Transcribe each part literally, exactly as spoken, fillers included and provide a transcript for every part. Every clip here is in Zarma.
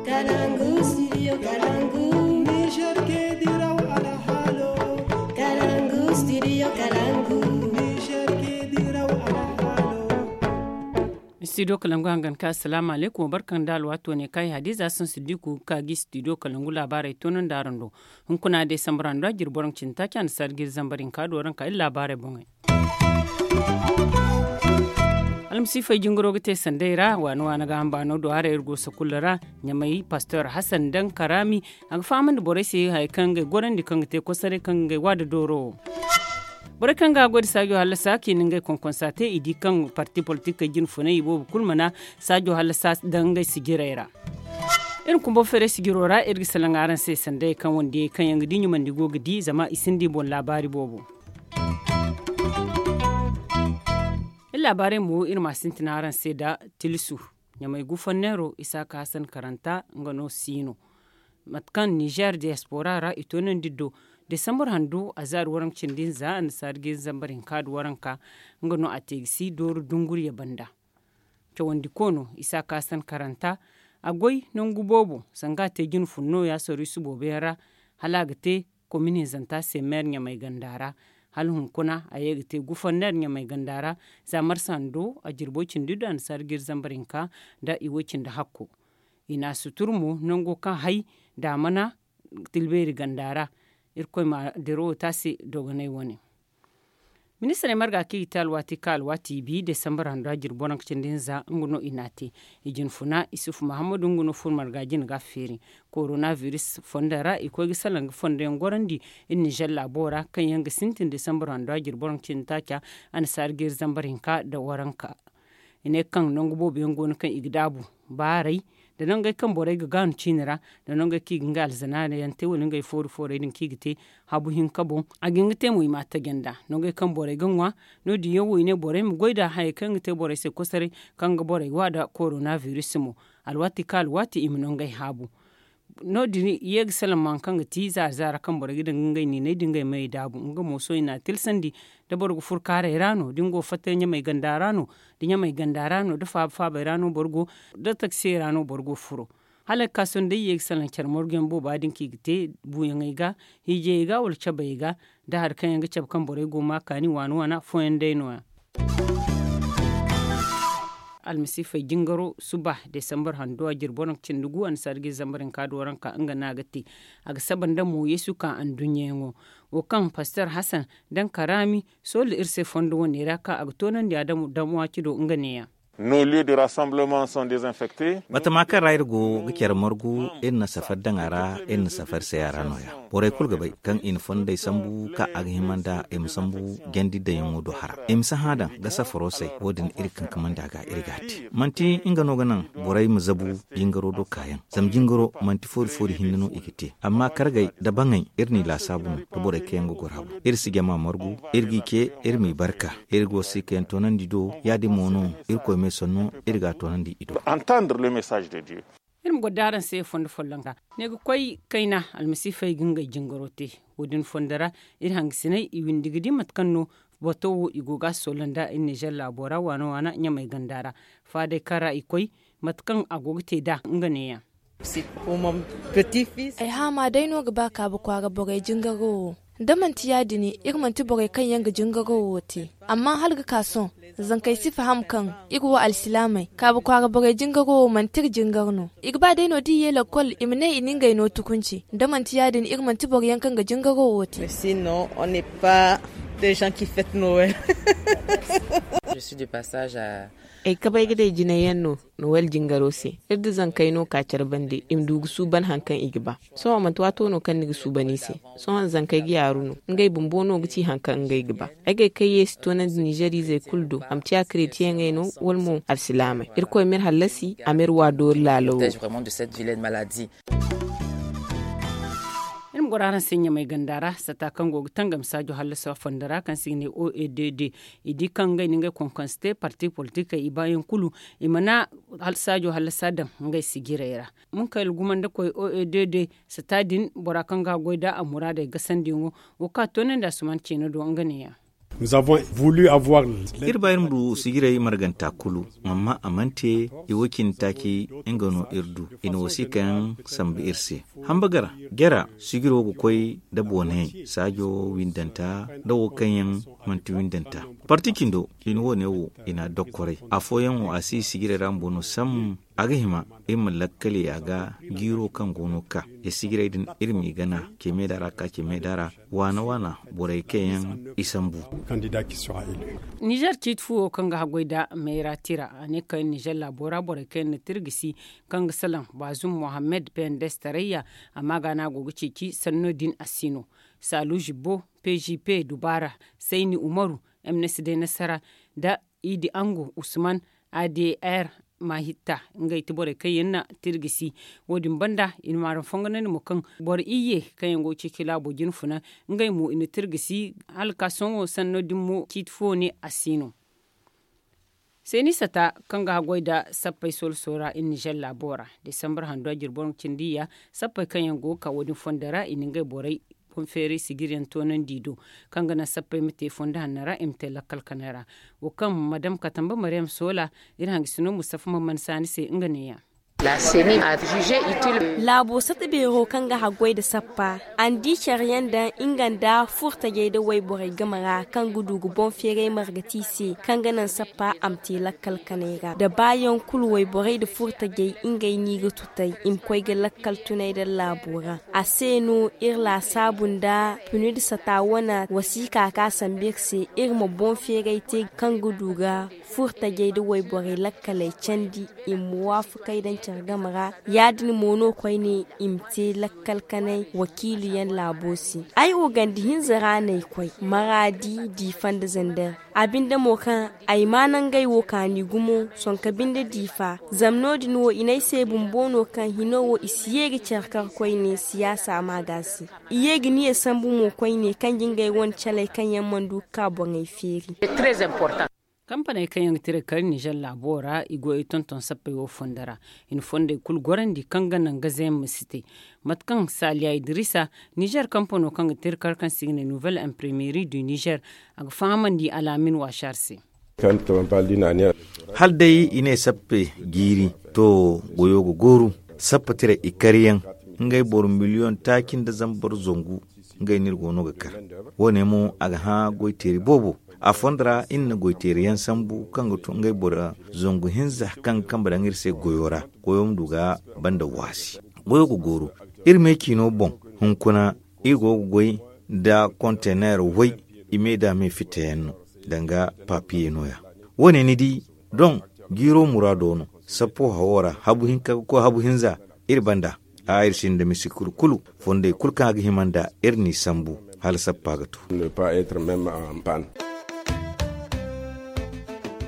Kalangu studio kalangu. Niger ke diraw alhalo. Kalangu studio kalangu. Niger ke diraw alhalo. Studio kalangu hangan ka assalamu alaikum barkan da alwato ne kai hadiza sun siddiku ka gi studio kalangu labarai tonon da rando. Hunkuna dai sambara ndo jirboran cinta kyan sargir zambarin ka doran ka illa labarai bongai. Almasiifey jingaro ga te sanday ra waana waana ga hamba no do haray iri go sakulla ra. Ɲamay pastor hasan dan karami a ga fahamandi borey se hari kaŋ ngey gorandi kaŋ ga te kosaray kaŋ ga ngey wa da dooro. Borey kaŋ ga goy da saajo hallasa kaŋ i na ngey konkonsa te i di kaŋ parti politikey jine funay i boobo kulu mana saajo hallasa daŋ ngey sijirey ra. Iri kumbo feeray sijiro ra iri ga salaŋ araŋ se sanday kaŋ wandiyey kaŋ yaŋ ga di ɲumandi go ga di zama i sinda i boŋ laabaari boobo. Iri laabaarey mo iri ma a sintin araŋ se nda tilisu ɲamay gufanneero isaaka hasan karanta nga no siino. Mate kaŋ nizer diyaspora ra i toonandi do desambar handu azaari waranka cindi nza annasaari ga iri zambar hinka nda waranka. Nga no a te ga si dooru dunguriya banda. Cawandi koono isaaka hasan karanta a goy nangu boobo sanga a te jine fun nooya soriisu boobo yaŋ ra hala a ga te komin hinzanta se meer ɲamay ganda ra. Hala hunkuna a ye ga te gufanneer ɲamay ganda ra za marsa hando a jirbo cindi do annasaari ga iri zambar hinka nda i woy cindi hakko. I na a sutur mo nango kaŋ hay daamana tilbeeri ganda ra. Irkoy ma dirawo te a se dogonay wane. Ministirey marga kaŋ i ga te alwaati kaŋ alwaati i bi desambar hando a jirbo ranka cindi hinza nga no i na a te. I jine funa isufu mahammadu nga no furo marga jine ga a feeri korona biris fondo ra i koy ga salaŋ ga fondo yaŋ gorandi. Iri nizer laabo ra kaŋ yaŋ ga sintin desambar hando a jirbo ranka cindi taaca annasaari ga iri zambar hinka nda waranka. I ne kaŋ nangu boobo yaŋ go no kaŋ i ga daabu baaray nda nangey kaŋ borey ga gaanu ciine ra nda nangey kaŋ i ga ngey alzanaana yaŋ te wala ngey foori foorey din kaŋ i ga te habu hinka boŋ. A ga hin ga te mo i ma a taji nd'a nangey kaŋ borey ga ŋwa. No- din yaŋ wo i ne borey ma goy nd'a hayey kaŋ yaŋ ga te borey se kosoray kaŋ ga borey wa nda korona biris mo. Alwaati kaŋ alwaati i ma nangey haabu. No- din i ye ga salaŋ ma hari kaŋ ga ti zaara zaara kaŋ borey ga daŋ ga ngey niinay nda ngey mayey daabu nga mo sohõ i na a tilsandi. Da boro ga furo kaaray ra no da ni go fatta ɲamay ganda ra no da ɲamay ganda ra no da faaba faabay ra no boro go da taksiyey ra no boro go furo. Hala ga ka sohõ day i ye ga salaŋ care marguyaŋ booba din kaŋ i ga te buuyaŋey ga hiijayey ga wala cabayey ga da hari kaŋ yaŋ ga cabe kaŋ borey go ma kaani waana waana fooyaŋ day no- ya. Almasiifey jingaro suba desambar hando a jirbo ranka cindi gu annasaari ga iri zambar hinka da waranka nga no a ga te. A ga saba nda mo yeesu ka anduɲɲa yaŋo wo kaŋ pastor hasan daŋ karaami soola iri se fondo wane ra kaŋ a ga toonandi a damuwa ci do nga ne- ya. Nos lieux de rassemblement sont désinfectés. Batama kaŋ ra iri go ga care margu iri na safari daŋ a ra. Iri na safari say a ra nooya. Borey kulu ga bay kaŋ i na fondey sambu kaŋ a ga hima nda i ma sambu jandi daŋyaŋo do hara i ma si hã daŋ ga safaro say. Wo- din iri kankamandi a ga iri ga a te manti nga no ga naŋ borey ma zabu jingaro do kaayaŋ. Zama jingaro manti foori foori hinne no i ga te amma kargey nda baŋey iri n'i laasaabu no. Da borey kaŋ yaŋ ga goro a boŋ iri si jama margu iri g'i ce iri m'i barka. Iri go si kaŋ yaŋ toonandi do ya- din mo no irkoy me sanno iri ga a toonandi i do. Iri ma goro da araŋ se fondo folloŋ ra ne ga koy kayna almasiifey ga ngey jingaro te. Wo- din fondo ra iri hangasiney i windi ga di mate kaŋ no bato wo i go ga a soola nda iri nizer laabo ra waana waana ɲamay ganda ra. Faadey kaŋ ra i koy mate kaŋ a go ga te nd'a nga ne- ya. Ay haama day no ga ba kaabu kwaara borey jingaro wo. Da manti ya- din iri manti borey kaŋ yaŋ ga jingaro wo te. Amma hala ga ka sohõ zankey si faham kaŋ iri wo alsilaamey kaabu kwaara borey jingaro wo manti iri jingar no. I ga ba day no da i ye lakkol i ma ne i na ngey no tukunci da manti ya- din iri manti boro yaŋ kaŋ ga jingaro wo te. Ay kabay ga day jinay yaŋ no nowel jingaro se. Iri da zankey no ka care bande i ma du ga suuban hari kaŋ i ga ba. Sohõ manti waato no kaŋ ni ga suuban i se. Sohõ zankey ga yaaru no ngey bumbo no ga ci hari kaŋ ngey ga ba. Ay ga ay kaŋ ye si toonandi nizer izey kulu do a ma ciya karetiyeŋey no wala mo alsilaamey. Irkoy ma iri hallasi a ma iri wa doori laalo wo. Iri ma goro araŋ se ɲamay ganda ra sata kaŋ go ga tangam saajo hallasa fondo ra kaŋ se i ga ne o e d d. I di kaŋ ngey na ngey konkonse te parti politikey i baayaŋ kulu i mana saajo hallasa daŋ ngey sijirey ra. Munkayla gumandakoy o e d d sata din bora kaŋ ga a goy nd'a a muraadey gasandi yaŋo. Wo kaŋ a toonandi a suman ceeno do nga ne- ya. Iri ba iri ma du sijirey marganta kulu, amma a mana te i wo cindi taaci. Nga no iri du i na wasiika yaŋ sambu iri se. Hamba gara jara sijiro ga koy nda boonayey saajo windanta nda wo kaŋ yaŋ manti windanta. Parti cindo i na wo- ne wo i na a dokkoray afooyaŋ wo a si sijirey ra bumbo no sambu. A ga hima iri ma lakkali a ga jiiro kaŋ go no ga ka iri sijirey din iri m'i gana ce meeda ra ka ce meeda ra waana waana borey kaŋ yaŋ i sambu. Nizer ciiti fu wo kaŋ ga haggoy nda mayra tira a ne kaŋ nizer laabo ra borey kaŋ yaŋ na tirgisi kaŋ ga salaŋ baazum mohammed pendes tarayya. Amma ga no a go ga ceeci sanno din a si no saalu zibbo p g p dubaara sayni umaru m n s d nasara nda idi angu usman a d r mahitta. Ngey ti borey kaŋ yaŋ na tirgisi wo- din banda i na maaram fongonandi mo kaŋ boro iyye kaŋ yaŋ go ga ceeci laabo jina funa ngey mo i na tirgisi hala ka sohõ sanno din mo ciiti fo ne a si no. Seeni sata kaŋ ga haggoy nda sappey soola soora iri nizer laabo ra desambar handu a jirbi waranka cindi iyya sappey kaŋ yaŋ go ga ka wo- din fondo ra i na ngey borey boŋ feeray sijir yaŋ toonandi i do kaŋ ga naŋ sappey ma te fondo hanno ra i ma te lakkal kanay ra. Wo kaŋ madam katamba mariyam soola iri hangasino mustafa man mana saani se nga neeya. Laabo sata beero kaŋ ga haggoy nda sappa a na di care yaŋ daŋ nga nda furtajey nda wayborey game ra kaŋ ga du ga boŋ feeray marga te i se kaŋ ga naŋ sappa a ma te lakkal kanay ra da baayaŋ kulu wayborey nda furtajey ngey no i ga tutay i ma koy ga lakkal tunay nda laabo ra. A se no iri laasaabu nda punu nda sata wane wasiika kaŋ a sambu iri se iri ma boŋ feeray te kaŋ ga du ga furtajey nda wayborey lakkaley candi i ma waafakay daŋ care game ra. Ya- din mo no koyne i ma te lakkal kanay wakiilu yaŋ laabo se. Ay wo ganda hinza ra no ay koy maraadi diifa nda zander a binde mo kaŋ ay ma nangey wo kaani gumo sonka binde diifa zama no- din wo i ne ay se bumbo no kaŋ hino wo i si ye ga care kar koyne siyaasa ma ga se. I ye ga niya sambu mo koyne kaŋ ga ngey wane caley kaŋ yaŋ mana du ga ka boŋey feeri. Kampaney kaŋ yaŋ ga tira kar nizer laabo ra i goyey tonton sappey wo fondo ra i na fondey kulu gorandi kaŋ ga naŋ gaze yaŋ ma si te. Mate kaŋ saliya idrisa nizer kampano kaŋ ga tira kar kaŋ se i ga ne nouvelle imprimerie du nizer a ga fahamandi alaamin waasar se. Hala day i ne sappe jiiri to goyo ga gooru. Sappe tira i kar yaŋ ngey boro miliyoŋ taaci nda zambar zangu. Ngey no iri go no ga kar wo- ne mo a ga hã goy teeri boobo. A fondo ra iri na goy teeri yaŋ sambu kaŋ ga to ngey boro zangu hinza kaŋ ga kambe daŋ iri se goyo ra. Goyo ma du ga banda waasi goyo ga gooru. Iri me ciino boŋ hunkuna iri go ga goy nda kontener way i me da me fitta yaŋ no danga papiye no- ya. Wo- ne ni di doŋ jiiro muraado no. Sappo hawo ra habu hinka ga koy habu hinza iri banda. A iri sinda misi kulu kulu fondey kulu kaŋ a ga hima nda iri n'i sambu hala sappa ga to.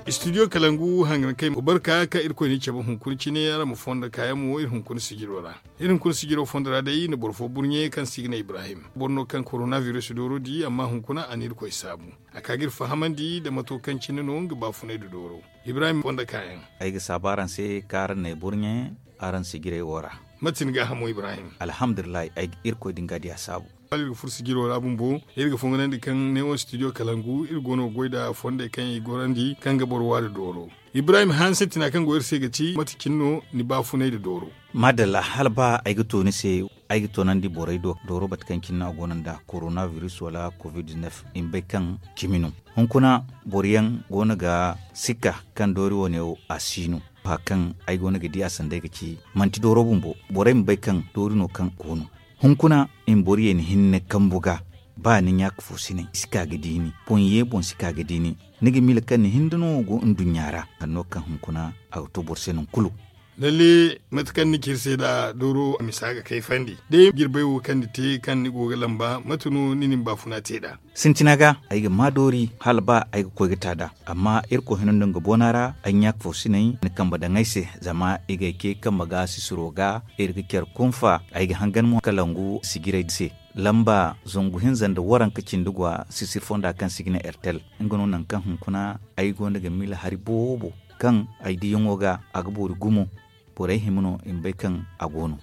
Studio kalangu hangan kay barka kaŋ irkoy ni cabe hunkuna cine ra ma fondo kaayaŋ mo iri hunkuna sijiro ra. Iri hunkuna sijiro fondo ra day na boro fo burɲe kaŋ se i ga ne ibrahim boro no kaŋ korona virus dooro di amma hunkuna a na irkoy saabu. A ka ga iri fahamandi nda mato kaŋ cine no nga baafunay nda dooro. Ibrahim fondo kaayaŋ. Ay ga saabu araŋ se kaŋ araŋ n'ay burɲe araŋ sijirey wo ra. Mate ni gaahamo ibrahim? Alhamdulillahi ay ga irkoy din ga diya saabu. Hala iri ga furo sijiro ra bumbo iri ga fonganandi kaŋ neewo studio kalangu iri go no ga goy nda fondey kaŋ i gorandi kaŋ ga boro waari dooro. Ibrahim hanse tina kaŋ go iri se ga ci mate cine no ni baafunay nda dooro? Madalla hala ba ay ga to ni se ay ga toonandi borey do dooro bate kaŋ cine no a go no nda korona virus wala covid-19. I ma bay kaŋ cimi no. Hunkuna boro yaŋ go no ga sikka kaŋ doori wo- ne wo a si no. Ba kaŋ ay go no ga di a sanda ay ga ci manti dooro bumbo borey ma bay kaŋ doori no kaŋ go no. Hunkuna i ma boro ye ni hinne kambu ga ba ni ɲaaka fo si naŋ i si ka ga di ni boŋ ye boŋ si ka ga di ni. Ni ga miila kaŋ ni hinda no go nduɲɲa ra sanno kaŋ hunkuna a ga to boro se nangu kulu. Lalle mate kaŋ ni ci iri se nd'a dooro a misa ga kayfandi day jirbey wo kaŋ ni te kaŋ ni go ga lamba mate no ni na ni baafuna te nd'a? Sintina ga ay ga maa doori hala ba ay ga koy ga ta nd'a. Amma irkoy hino nda nga boona ra ay ɲaaka fo si naŋ ni kambe daŋ ay se zama i ga ay ce kambe ga sisiro ga iri ga care kunfa. Ay ga hangan mo kalangu sijirey se lamba zangu hinza nda waranka cindi gwa sisir fonda kaŋ se i ga ne ertel. Nga no nangu kaŋ hunkuna ay gonda ga miila hari boobo kaŋ ay diyaŋo ga a ga boori gumo. Borey hima no i ma bay kaŋ a go no.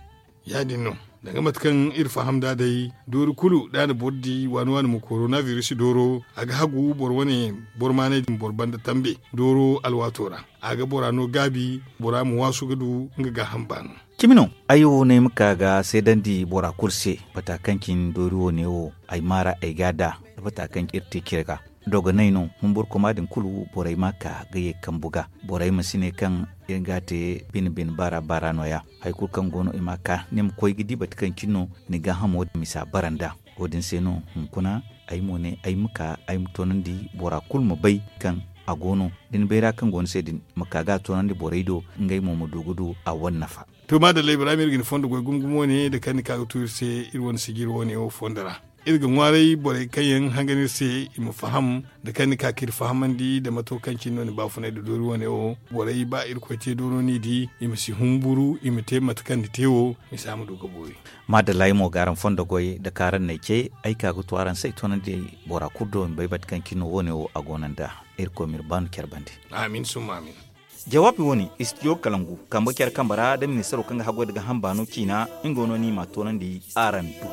Ya- din no. Danga mate kaŋ iri faham nd'a day, doori kulu da a na boro di waani waani mo korona virus dooro, a ga hagu boro wane boro maanay din boro banda tambe dooro alwaato ra. A ga bora no gaabi, bora ma waasu ga du nga gaaham baano. Cimi no. Ay wo no ay ma ka ga seedandi bora kulu se bata kaŋ cine doori wo ne wo, ay maara ay ga a da bata kaŋ iri te cire ga. Dogonay no humburkoma din kulu borey ma ka ga ye kambu ga. Borey ma si ne kaŋ iri ga a te bine bine baara baara no- ya. Hari kulu kaŋ go no i ma ka ni ma koy ga di bata kaŋ cine no ni gaahamo din misa bara nd'a. Wo- din se no hunkuna ay mo ne ay ma ka ay ma toonandi bora kulu ma bay kaŋ a go no. Da ni bayra kaŋ go ni se din ma ka ga a toonandi borey do, ngey mo ma du ga du a wane nafa. To maadalla ibrahim iri ga ni fondo goy gumo gumo ne da kaŋ ni ka ga tu iri se iri wane sijiri wane wo fondo ra. Iri ga ŋwaaray borey kaŋ yaŋ hangan iri se i ma faham da kaŋ ni ka ka iri fahamandi da mato kaŋ cine no ni baafunay da doori wane wo. Borey ba irkoy te dooro no i di i ma si humburu i ma te mate kaŋ ni te wo. Misa ma du ga boori. Maadalla ay mo ga araŋ fondo goy da kaŋ araŋ n'ay ce ay ka ga tu araŋ se ay toonandi bora kulu do i ma bay mate kaŋ cine no wo- ne wo a go no nd'a. Irkoy ma iri baanu care bande. Amin summa amin. Jawaabi wo- ne istidiyo kalangu kambe care kambe ra da ministaro kaŋ ga haggoy da gaaham baano ciina. Nga no ni ma a toonandi araŋ do.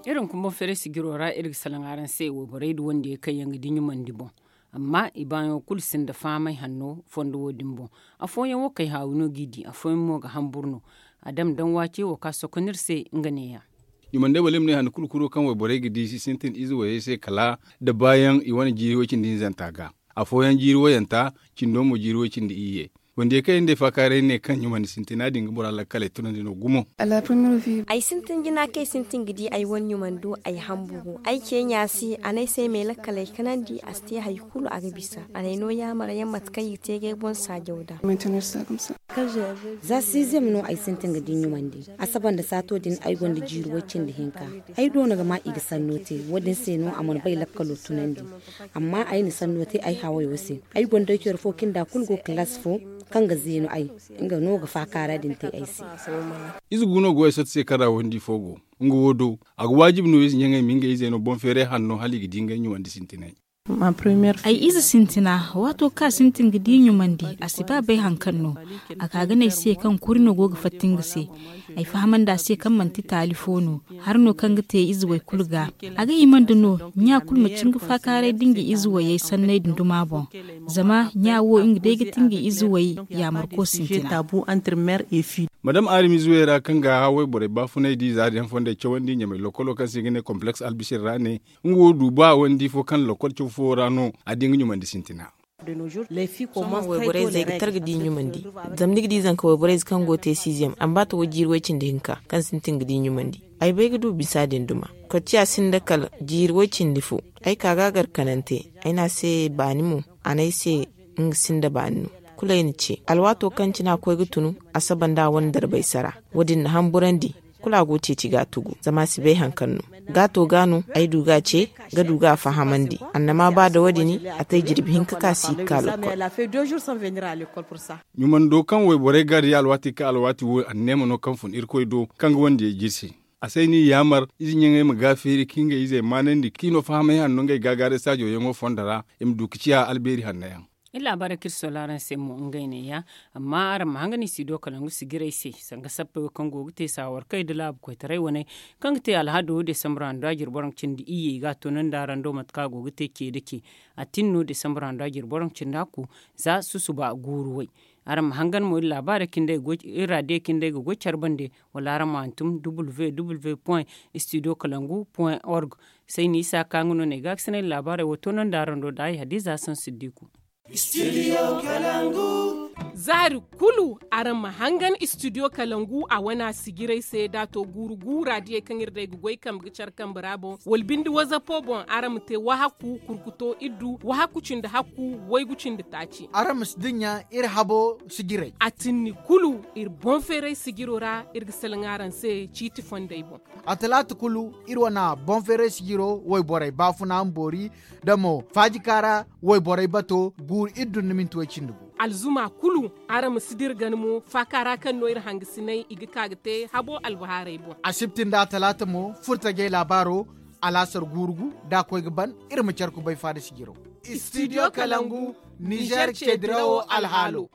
Iri hunkuna boŋ feeray sijiro ra iri ga salaŋ araŋ se wayborey da wandiyey kaŋ yaŋ ga di ɲumandi boŋ. Amma i baayaŋo kulu sinda fahamay hanno fondo wo- din boŋ. Afooyaŋ wo kay haawi no g'i di afooyaŋ mo ga hamburu no. A dam daŋ waace wo ka sokon iri se nga neeya. Ɲumandey wala i ma ne hande kulu kuro kaŋ wayborey ga di si sintin ize wayey se kala da baayaŋ i wane jiiri way cindi hinzanta ga. Afooyaŋ jiiri wayanta cindo mo jiiri way cindi iyye. Wandiyey kaŋ yaŋ day faakaaray ne kaŋ ɲumandi sintina din ga bora lakkaley tunandi no gumo. Ay sintin jina kaŋ ay sintin ga di ay wane ɲumando ay hamburu ay ceeɲa se a ne ay se ay ma ay lakkaley kanandi a si te hari kulu a ga bisa a na ay no yaamar yaŋ mate kaŋ i ga te ga ay boŋ saajaw da. Za siizem no ay sintin ga di ɲumandi. Asaba nda saato din ay gonda jiiri way cindi hinka. Ay doona ga ma i ga sanno te wo- din se no a mana bay lakkalo tunandi. Amma ay na sanno te ay hawayo se. Ay gonda ay care fo kinda kulu go kalaasi fo kaŋ ga zeenu ay. Nga no ga faakaara din te ay se. Ize gu no go ay sotti se kaŋ ra wandi fo go. Nga wo do a ga waajibi no ize ɲaŋey ma ngey izey no boŋ feeray hanno hala i ga di ngey ɲumandi sintinay. Ay ize sintina waato kaŋ a sintin ga di ɲumandi a si ba bay hari kaŋ no. A ka ga ne ay se kaŋ kuri no go ga fatta nga se. Ay fahamandi a se kaŋ manti taali fo no. Hari no kaŋ ga te ize way kulu ga. A ga hima nda no ɲa kulu ma cin ga faakaaray da nga ize wayey sanney din duma boŋ. Zama ɲa wo nga day ga ti nga ize way yaamarko sintina. Madam aarimize way ra kaŋ ga haway borey baafunay di za din fondey cawandi ɲamay lokolo kaŋ se i ga ne kompleks albisir ra ne. Nga wo du ba wandi fo kaŋ lokol caw fo ra no a di nga ɲumandi sintina. Sohõ wayborey zey ga tar ga di ɲumandi. Zama ni ga di zanka wayborey zey kaŋ go ga te siiziyam a ma ba ta way jiiri way cindi hinka kaŋ sintin ga di ɲumandi. Ay bay ga du bisa din duma. Kocciya sinda kala jiiri way cindi fo. Ay ka ga a gar kanante. Ay ne a se baani mo a ne ay se nga sinda baani no. Kulu ay na ce alwaato kaŋ cine a koy ga tunu a saba nda a wane darbay sara. Wo- din na hamburandi. Kulu a go ga ceeci ga a tugu zama a si bay hari kaŋ no. Gaato ga no ay du ga a ce ga du ga a fahamandi. Annama ba da wo- din a te jirbi hinka ka si ga ka lokol. Ɲumando kaŋ wayborey ga di alwaati kaŋ alwaati wo anneema no kaŋ fun irkoy do kaŋ ga wandiyey jirsi. A say ni yaamar ize ɲaŋey ma ga feeri ka ngey izey maanandi kaŋ i no fahamay hanno ngey gaagaaray saajo yaŋo fondo ra. I ma du ga ciya albeeri hanno yaŋ. Iri laabaarey kaŋ iri sola araŋ se mo ngey neeya. Amma araŋ ma hangan i si do kalangu sijirey se sanga sappey wo kaŋ go ga te saawarkey nda laabu koytaray wane kaŋ ga te alhado desambur handu a jire boro ga cindi iyye i ga a toonandi araŋ do mate kaŋ a go ga te ce nda ce. A tin no desambur handu a jire boro ga cindi hakku za susuba guuru way. Araŋ ma hangan mo iri laabaarey kaŋ day iri raadiyo kaŋ day ga goy care bande wala araŋ ma hantum www point studio kalangu point org. Sayni isa ka nga no no ay ga ga sinay laabaarey wo toonandi araŋ do da ay hadiza sansiddiku. Zaari kulu araŋ ma hangan istidiyo kalangu a wana sijirey se da a to guuru guura diyey kaŋ iri day ga goy kambe ga care kambe ra boŋ wala binde wazapo boŋ araŋ ma te wahakku kurkuto iddu wahakku cindi hakku waygu cindi taaci. Araŋ ma si dinya iri habo sijirey. A tinni kulu iri boŋ feeray sijiro ra iri ga salaŋ araŋ se ciiti fondey boŋ. A talaata kulu iri wana boŋ feeray sijiro wayborey baafuna ma boori da mo faajikaara wayborey bato guuru iri dun na minti way cindi gu. Alzuma kulu araŋ ma si dira gana mo faaka ra kaŋ no iri hangasinay i ga ka ga te habo albahaarey boŋ. Asibti nda atalaata mo furtajey laabaaro alaasar guurugu da a koy ga ban iri ma care kubay faada sijiro. Studio kalangu nizer ceedirawo alhaalo.